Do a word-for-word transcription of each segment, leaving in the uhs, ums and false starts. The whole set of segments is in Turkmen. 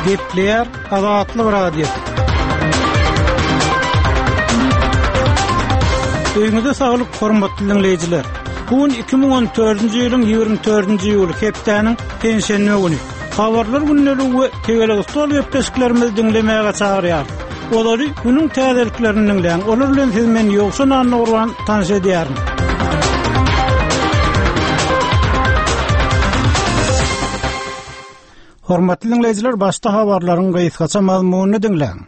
Gepleýär Azatlyk Radiosy. Öýüňize saglyk, hormatly diňleýjiler. Bu gün iki müň on dördünji ýylyň ýigrimi dördünji iýuly, hepdäniň penşenbe güni. Habarlar gündeligi we tegelek stol gepleşiklerimizi diňlemäge çagyrýarys. Olary günüň täzeliklerini diňläň. Olar bilen siz men Ýowşan Annagurban tanyş edýärin. Hormatly diňleýjiler, başda habarlaryň gysgaça mazmunyny diňläň.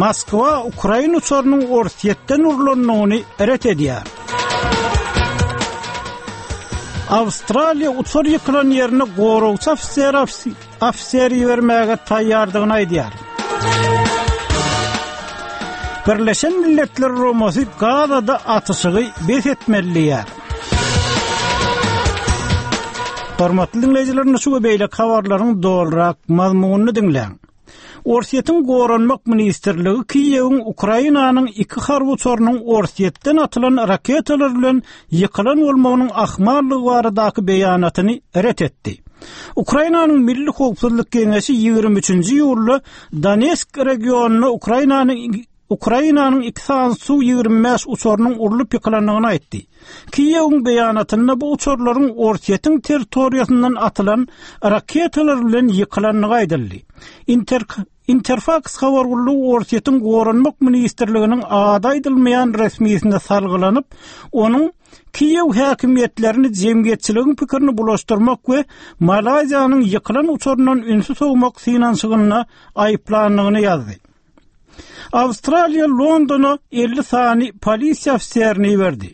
Moskwa Ukraina uçarynyň Orsýetden urlandygyny ret edýär. Awstraliýa uçar ýykylan ýerine goragçy ofiser ofiser ibermäge taýýardygyny aýdýar. Birleşen Milletler Guramasy Gazada atyşygy bes etmeli diýýär. Hormatly diňleýjiler, şu we beýleki habarlaryň dolurak mazmunyny diňläň. Orsýetiň Goranmak ministrligi Kiýewiň Ukrainanyň iki harby uçarynyň Orsýetden atylan raketalar bilen ýykylan bolmagynyň ahmallygy baradaky beýanatyny ret etdi. Ukrainanyň Milli howpsuzlyk geňeşi ýigrimi üçünji iýulda Donetsk regionynda Ukrainanyň Ukrainanyň iki sany Su ýigrimi bäş uçarynyň urlup ýykylandygyny aýtdy. Kiýewiň beýanatynda bu uçarlaryň Orsýetiň territoriýasyndan atylan raketalar bilen ýykylandygy aýdyldy. Inter-, Interfaks habar gullugy Orsýetiň Goranmak ministrliginiň ady aýdylmaýan resmisine salgylanyp, onuň Kiýew häkimiýetlerini jemgyýetçiligiň pikirini bulaşdyrmak we Malaýziýanyň ýykylan uçaryndan ünsi sowmak synanyşygynda aýyplandygyny ýazdy. Awstraliýa Londona elli sany polisiýa ofiserini iberdi.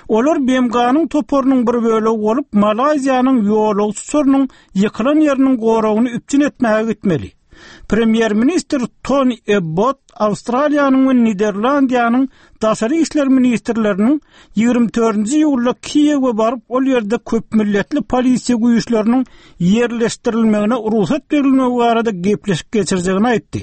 Olar B M G-nyň toparynyň bir bölegi bolup, Malaýziýanyň ýolagçy uçarynyň ýykylan ýeriniň goragyny üpjün etmäge gitmeli. Premýer-ministr Tony Abbott Awstraliýanyň we Niderlandiýanyň daşary işler ministrleriniň ýigrimi dördünji iýulda Kiýewe baryp, ol ýerde köpmilletli polisiýa güýçleriniň ýerleşdirilmegine rugsat berilmegi barada gepleşik geçirjegini aýtdy.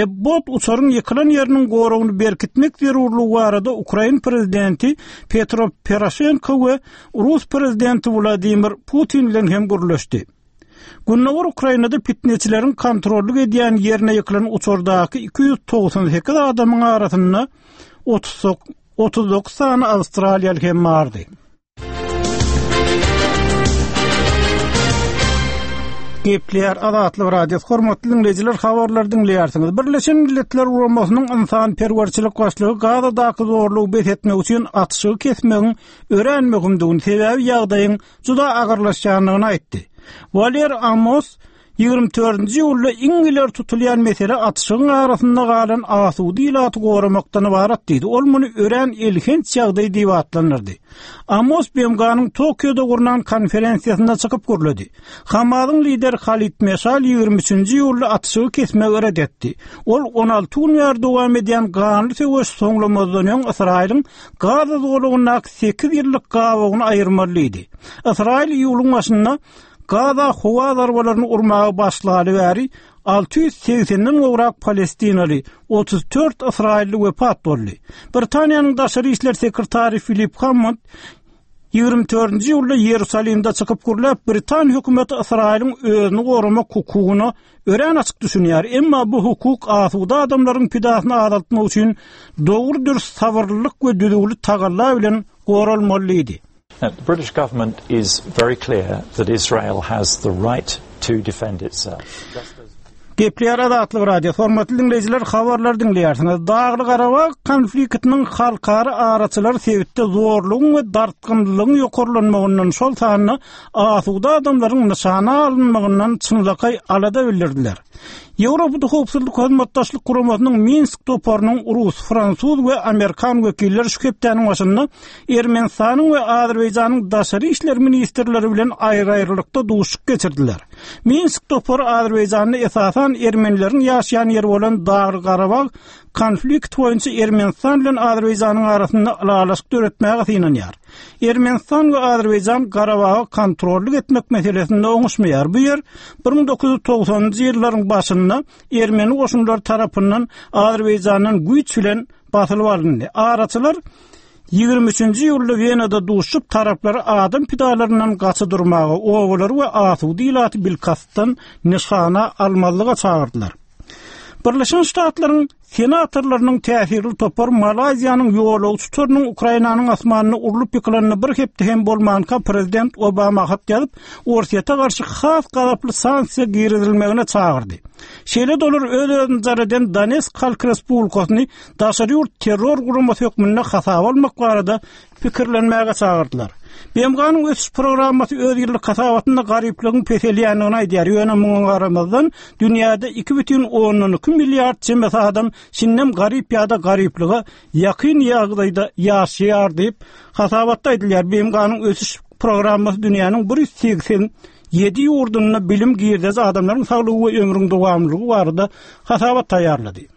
Abbott uçaryň ýykylan ýeriniň goragyny berkitmek zerurlygy barada Ukrain prezidenti Petro Poroşenko we Rus prezidenti Wladimir Putin bilen hem gürleşdi. Gündogar Ukrainada pitneçileriň kontrollyk edýän ýerine ýykylan uçardaky iki ýüz togsan sekiz adamyň arasynda otuz dokuz sany awstraliýaly hem bardy. Gepleýär Azatlyk Radiosy. Hormatly diňleýjiler, habarlary diňleýärsiňiz. Birleşen Milletler Guramasynyň ynsanperwerçilik başlygy Gazadaky zorlugy bes etmek üçin atyşygy kesmegiň örän möhümdigini, sebäbi ýagdaýyň juda agyrlaşýandygyny aýtdy. Waler Amos ýigrimi dördünji iýulda iň ileri tutulýan mesele atyşygyň arasynda galan asuda ilaty goramakdan ybarat diýdi. Ol muny örän elhenç ýagdaý diýip atlandyrdy. Amos B M G-nyň Tokioda gurnan konferensiýasynda çykyp gürledi. Hamasyň lideri Halid Meşal ýigrimi üçünji iýulda atyşygy kesmegi ret etdi. Ol on alty gün bäri dowam edýän ganly söweş soňlamazdan öň Ysraýylyň Gaza zolagyndaky sekiz ýyllyk gabawyny aýyrmaly diýdi. Ysraýyl iýulyň başynda Gaza howa zarbalaryny urmaga başlaly bäri alty ýüz segsenden gowrak palestinaly, otuz dört ysraýylly wepat boldy. Britaniýanyň daşary işler sekretary Filip Hammond ýigrimi dördünji iýulda Ýerusalimde çykyp gürläp, Britan hökümeti Ysraýylyň özüni goramak hukugyna örän açyk düşünýär, emma bu hukuk asuda adamlaryň pidasyny azaltmak üçin dogry dürs sabyrlylyk we düzgünli tagalla bilen goralmaly diýdi. Now, the British government is very clear that Israel has the right to defend itself. Gepleýär Azatlyk Radiosy. Hormatly diňleýjiler, habarlar diňleýärsiňiz. Dagly Garabag konfliktiniň halkara araçylary sebitde zorlugyň we dartgynlygyň ýokarlanmagyndan, şol sanda asuda adamlaryň nyşana alynmagyndan çynlakaý alada bildirdiler. Ýewropada Howpsuzlyk Hyzmatdaşlyk Guramasynyň Minsk toparynyň rus, fransuz we amerikan wekilleri şu hepdäniň başynda Ermenistanyň we Azerbaýjanyň daşary işler ministrleri bilen aýry-aýrylykda duşuşyk geçirdiler. Minsk topary Azerbaýjanda esasan ermenileriň ýaşaýan ýeri bolan Dagly Garabag konflikt boýunça Ermenistan bilen Azerbaýjanyň arasynda ylalaşyk döretmäge synanýar. Ermenistan we Azerbaýjan Garabaga kontrollyk etmek meselesinde oňuşmaýar. Bu ýer bir müň dokuz ýüz togsanynjy ýyllaryň başynda ermeni goşunlary tarapyndan Azerbaýjandan güýç bilen basylyp alyndy. Araçylar Ýigrimi üçünji iýulda Wenada duşup, taraplary adam pidalaryndan gaça durmaga, obalary we asuda ilaty bilkastdan nyşana almazlyga çagyrdylar. Birleşen Ştatlaryň senatorlarynyň täsirli topary Malaýziýanyň ýolagçy uçarynyň Ukrainanyň asmanynda urlup ýykylanyna bir hepde hem bolmanka prezident Obama hat ýazyp, Orsýete garşy has gazaply sanksiýa girizilmegine çagyrdy. Şeýle-de olar öz-özüni jar eden Donetsk Halk Respublikasyny daşary ýurt terror guramasy hökmünde hasaba almak barada pikirlenmäge çagyrdylar. B M G-nyň ösüş programmasy öz ýyllyk hasabatynda garyplygyň peselýändigini aýdýar, ýöne muňa garamazdan dünýäde iki bütin ondan iki milliard çemesi adam şindem garyp ýa-da garyplyga ýakyn ýagdaýda ýaşaýar diýip, hasabatda aýdylýar. B M G-nyň ösüş programmasy dünýäniň bir ýüz segsen ýedi ýurdunda bilim, girdeji, adamlaryň saglygy we ömrüň dowamlylygy barada hasabat taýýarlady.